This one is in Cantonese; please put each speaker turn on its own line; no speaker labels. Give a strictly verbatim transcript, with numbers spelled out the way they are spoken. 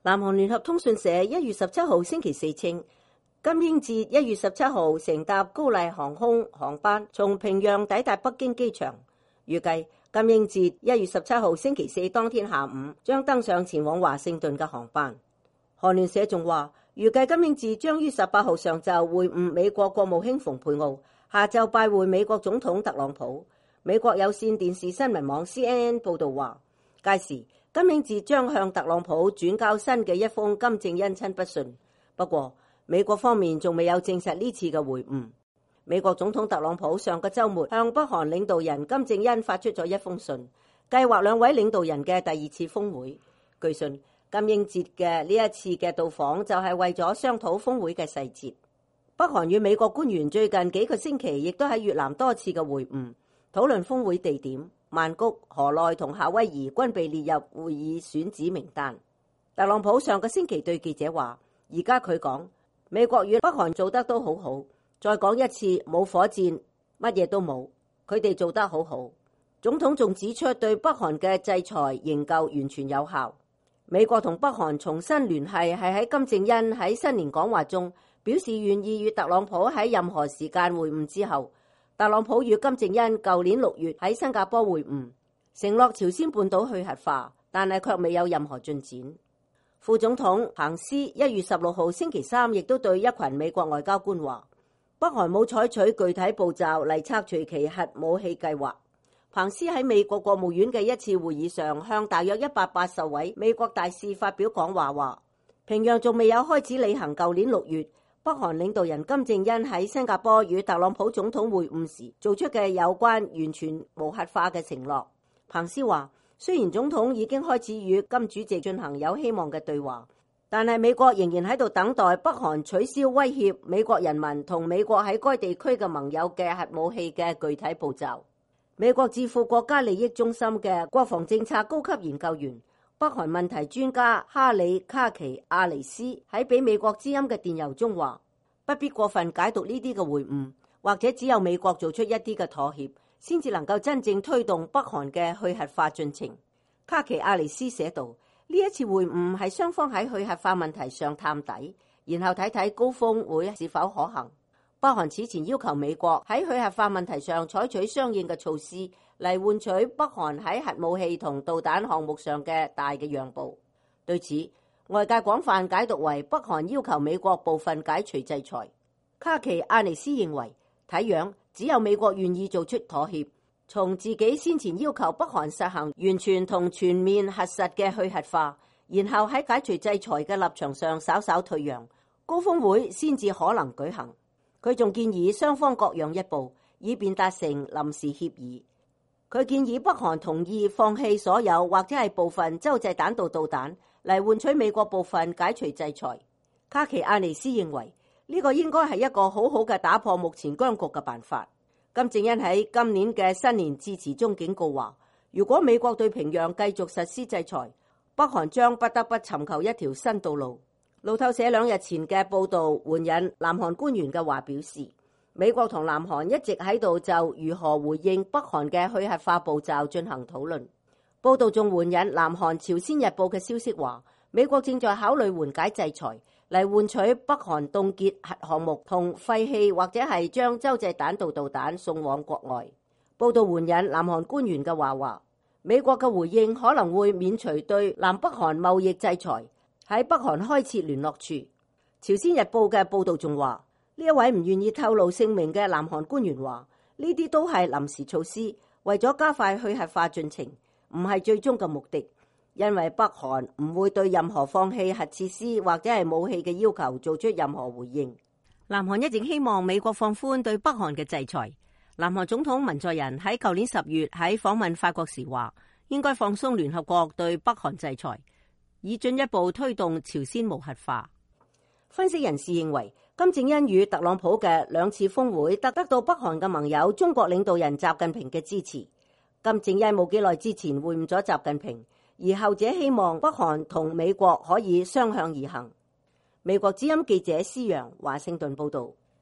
南韓聯合通訊社一月十七號星期四稱，金英哲一月十七號乘搭高麗航空航班從平壤抵達北京機場，預計金英哲一月十七號星期四當天下午將登上前往華盛頓嘅航班。韓聯社仲話，預計金英哲將於十八號上晝會晤美國國務卿蓬佩奧，下晝拜會美國總統特朗普。美國有線電視新聞網 C N N 報道話，屆時金英哲將向特朗普轉交新嘅一封金正恩親筆信。不過，美國方面仲未有證實呢次嘅會晤。美國總統特朗普上個週末向北韓領導人金正恩發出咗一封信，計劃兩位領導人嘅第二次峰會。據信，金英哲嘅呢一次嘅到訪就係為咗商討峰會嘅細節。北韓與美國官員最近幾個星期亦都喺越南多次嘅會晤，討論峰會地點。曼谷、河內同夏威夷均被列入會議選址名單。特朗普上個星期對記者話，而家佢講美國與北韓做得都好好。再講一次，冇火箭，乜嘢都冇，佢哋做得好好。總統仲指出，對北韓嘅制裁仍舊完全有效。美國同北韓重新聯繫係喺金正恩喺新年講話中表示願意與特朗普喺任何時間會晤之後。特朗普與金正恩舊年六月喺新加坡會晤，承諾朝鮮半島去核化，但係卻未有任何進展。副總統彭斯一月十六號星期三亦都對一群美國外交官話，北韓冇採取具體步驟嚟拆除其核武器計劃。彭斯喺美國國務院嘅一次會議上，向大約一百八十位美國大使發表講話，話平壤仲未有開始履行舊年六月北韓領導人金正恩喺新加坡與特朗普總統會晤時做出嘅有關完全無核化嘅承諾。彭斯話，雖然總統已經開始與金主席進行有希望嘅對話，但係美國仍然喺度等待北韓取消威脅美國人民同美國喺該地區嘅盟友嘅核武器嘅具體步驟。美國智庫國家利益中心嘅國防政策高級研究員、北韓問題專家哈里卡奇亞尼斯喺俾美國之音嘅電郵中話，不必過分解讀呢啲嘅會晤，或者只有美國做出一啲嘅妥協，先至能夠真正推動北韓嘅去核化進程。卡奇亞尼斯寫道，呢一次會晤係雙方喺去核化問題上探底，然後睇睇高峰會是否可行。北韓此前要求美國喺去核化問題上採取相應嘅措施，嚟換取北韓喺核武器同導彈項目上嘅大嘅讓步。對此，外界廣泛解讀為北韓要求美國部分解除制裁。卡奇亞尼斯認為，睇樣只有美國願意做出妥協，從自己先前要求北韓實行完全同全面核實嘅去核化，然後喺解除制裁嘅立場上稍稍退讓，高峰會先至可能舉行。佢仲建議雙方各讓一步，以便達成臨時協議。佢建議北韓同意放棄所有或者係部分洲際彈道導彈，嚟換取美國部分解除制裁。卡奇亞尼斯認為呢個應該係一個好好嘅打破目前僵局嘅辦法。金正恩喺今年嘅新年致辭中警告話，如果美國對平壤繼續實施制裁，北韓將不得不尋求一條新道路。路透社兩日前嘅報導援引南韓官員嘅話表示，美國同南韓一直喺度就如何回應北韓嘅去核化步驟進行討論。報導仲援引南韓朝鮮日報嘅消息話，美國正在考慮緩解制裁，嚟換取北韓凍結核項目同廢棄或者係將洲際彈道導彈送往國外。報導援引南韓官員嘅話話，美國嘅回應可能會免除對南北韓貿易制裁，喺北韓開設聯絡處。朝鮮日報嘅報導仲話，呢一位唔願意透露姓名嘅南韓官員話，呢啲都係臨時措施，為咗加快去核化進程，唔係最終嘅目的，因為北韓唔會對任何放棄核設施或者係武器嘅要求做出任何回應。南韓一直希望美國放寬對北韓嘅制裁。南韓總統文在寅喺舊年十月喺訪問法國時話，應該放鬆聯合國對北韓制裁，以進一步推動朝鮮無核化。分析人士認為，金正恩與特朗普嘅兩次峰會得得到北韓嘅盟友中國領導人習近平嘅支持。金正恩冇幾耐之前會晤咗習近平，而後者希望北韓同美國可以相向而行。美國之音記者施洋華盛頓報道。